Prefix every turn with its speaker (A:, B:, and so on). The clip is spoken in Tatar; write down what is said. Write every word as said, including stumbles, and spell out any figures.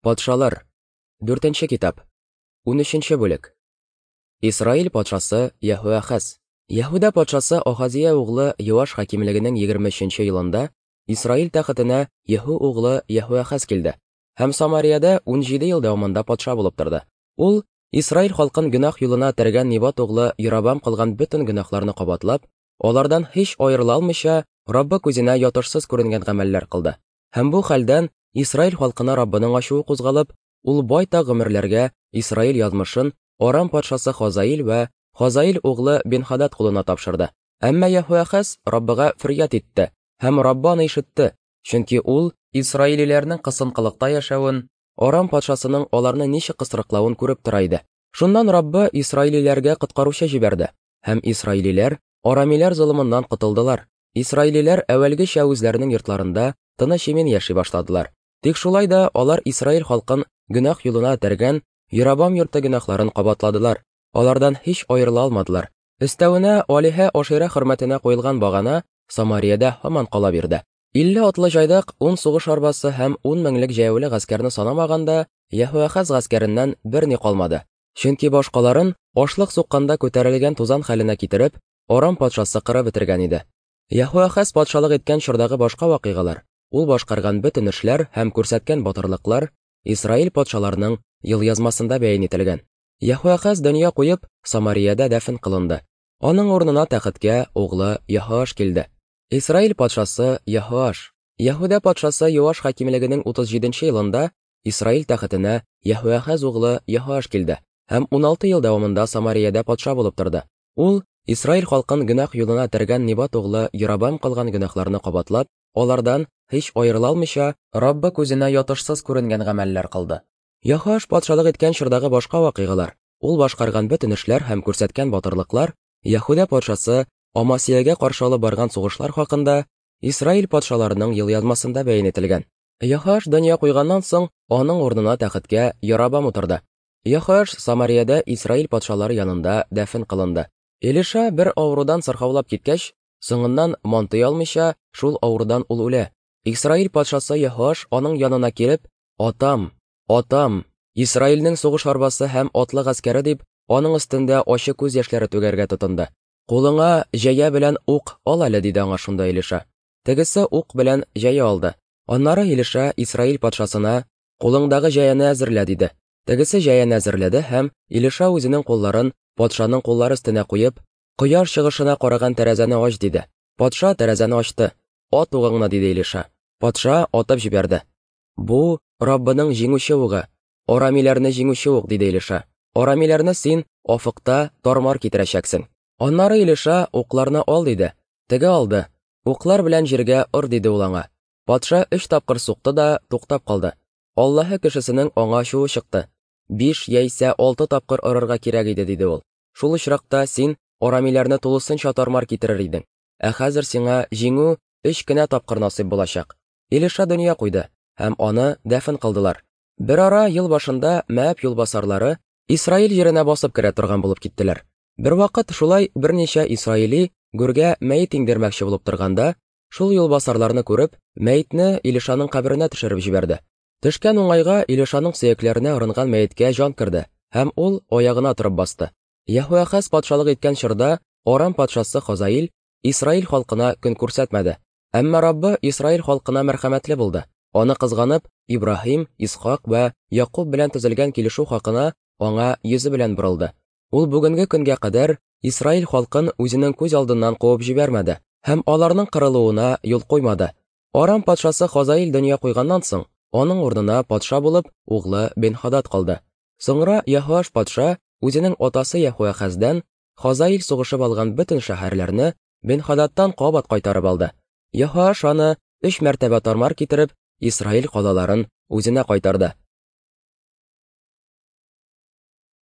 A: Патшалар. Дүртенче китап. Унөченче бүлек. Исраил патшасы Яһүәхәз. Яһүдә патшасы Ахазия углы Йоаш хакимлегенең егерме өченче елында Исраил тәхетенә Яһү углы Яһүәхәз килде һәм Самариядә унҗиде ел дәвамында патша булып торды. Ул Исраил халкын гөнаһ юлына этәргән Нибат углы Ярабам кылган бөтен гөнаһларны кабатлап, алардан һич аерыла алмыйча, Раббы күзенә ятышсыз күренгән гамәлләр кылды. Һәм бу хәлдән Исраил халкына Раббының ачуы кузгалып, ул байтак гомерләргә Исраил язмышын Арам патшасы Хазаил вә Хазаил углы Бен-Хадад кулына тапшырды. Әмма Яһүәхәз Раббыга фөрьяд итте һәм Раббы аны ишетте, чөнки ул исраилиләрнең кысынкылыкта яшәвен, Арам патшасының аларны ничек кысрыклавын күреп тора иде. Шуннан Раббы исраилиләргә коткаручы җибәрде, һәм исраилиләр арамиләр золымыннан котылдылар. Исраилиләр әүвәлгечә үзләренең йортларында тыныч имин яши башладылар. Тик шулай да алар Исраил халкын гөнаһ юлына этәргән Ярабам йорты гөнаһларын кабатладылар. Алардан һич аерыла алмадылар. Өстәвенә Алиһә Ашира хөрмәтенә куелган багана Самариядә һаман кала бирде. Илле атлы җайдак, ун сугыш арбасы һәм ун меңлек җәяүле гаскәрне санамаганда, Яһүәхәз гаскәреннән берни калмады. Чөнки башкаларын ашлык сукканда күтәрелгән тузан хәленә китереп, Арам патшасы кырып бетергән иде. Яһүәхәз патшалык иткән чордагы башка вакыйгалар, ул башкарган бөтен эшләр һәм күрсәткән батырлыклар Исраил патшаларының елъязмасында бәян ителгән. Яһүәхәз дөнья куеп, Самариядә дәфен кылынды. Аның урынына тәхеткә углы Яһоаш килде. Исраил патшасы Яһоаш. Яһүдә патшасы Йоаш хакимлегенең утыз җиденче елында Исраил тәхетенә Яһүәхәз углы Яһоаш килде һәм уналты ел дәвамында Самариядә патша булып торды. Ул Исраил халкын гөнаһ юлына этәргән Нибат углы Ярабам кылган гөнаһларны кабатлап, алардан һич аерыла алмыйча, Раббы күзенә ятышсыз күренгән гамәлләр кылды. Яһоаш патшалык иткән чордагы башка вакыйгалар, ул башкарган бөтен эшләр һәм күрсәткән батырлыклар, Яһүдә патшасы Амасиягә каршы алып барган сугышлар хакында Исраил патшаларының елъязмасында бәян ителгән. Яһоаш дөнья куйганнан соң, аның урынына тәхеткә Ярабам утырды. Яһоаш Самариядә Исраил патшалары янында дәфен кылынды. Элиша бер авырудан сырхаулап киткәч, соңыннан мантый алмыйча, шул авырудан ул үлә. Исраил патшасы Яһоаш аның янына килеп, "Атам, атам, Исраилнең сугыш арбасы һәм атлы гаскәре" дип, аның өстендә ачы күз яшьләре түгәргә тотынды. "Кулыңа җәя белән ук ал әле", диде аңа шунда Элиша. Тегесе ук белән җәя алды. Аннары Элиша Исраил патшасына, "Кулыңдагы җәяне әзерлә", диде. Тегесе җәяне әзерләде һәм Элиша үзенең кулларын патшаның куллары өстенә куеп, "Кояш чыгышына караган тәрәзәне ач", диде. Патша тәрәзәне ачты. "Ат угыңны", диде Элиша. Патша атып җибәрде. "Бу Раббының җиңүче угы, арамиләрне җиңүче ук", диде Элиша. "Арамиләрне син офыкта тармар китерәчәксең". Аннары Элиша, "Укларны ал", диде. Теге алды. "Уклар белән җиргә ор", диде ул аңа. Патша өч тапкыр сукты да туктап калды. Аллаһы кешесенең аңа ачуы чыкты. "Биш яисә алты тапкыр орырга кирәк иде", диде ул. "Шул очракта син арамиләрне тулысынча тармар китерер идең. Ә хәзер сиңа җиңү өч кенә тапкыр насыйп булачак". Элиша дөнья куйды һәм аны дәфен кылдылар. Бер ара ел башында Мәәб юлбасарлары Исраил җиренә басып керә торган булып киттеләр. Бер вакыт шулай берничә исраили гүргә мәет иңдермәкче булып торганда, шул юлбасарларны күреп, мәетне Илишаның каберенә төшереп җибәрде. Төшкән уңайга Илишаның сөякләренә орынган мәеткә җан керде һәм ул аягына торып басты. Яһүәхәз патшалык иткән чорда Арам патшасы Хазаил Исраил халкына көн күрсәтмәде. Әмма Раббы Исраил халкына мәрхәмәтле булды. Аны кызганып, Ибраһим, Исхак вә Якуб белән төзелгән килешү хакына аңа йөзе белән борылды. Ул бүгенге көнгә кадәр Исраил халкын үзенең күз алдыннан куып җибәрмәде һәм аларның кырылуына юл куймады. Арам патшасы Хазаил дөнья куйганнан соң, аның урынына патша булып углы Бен-Хадад калды. Соңра Яһоаш патша үзенең атасы Яһүәхәздән Хазаил сугышып алган бөтен шәһәрләрне Бен-Хададтан кабат кайтарып алды. Яһоаш аны өч мәртәбә тармар китереп, Исраил калаларын үзенә кайтарды.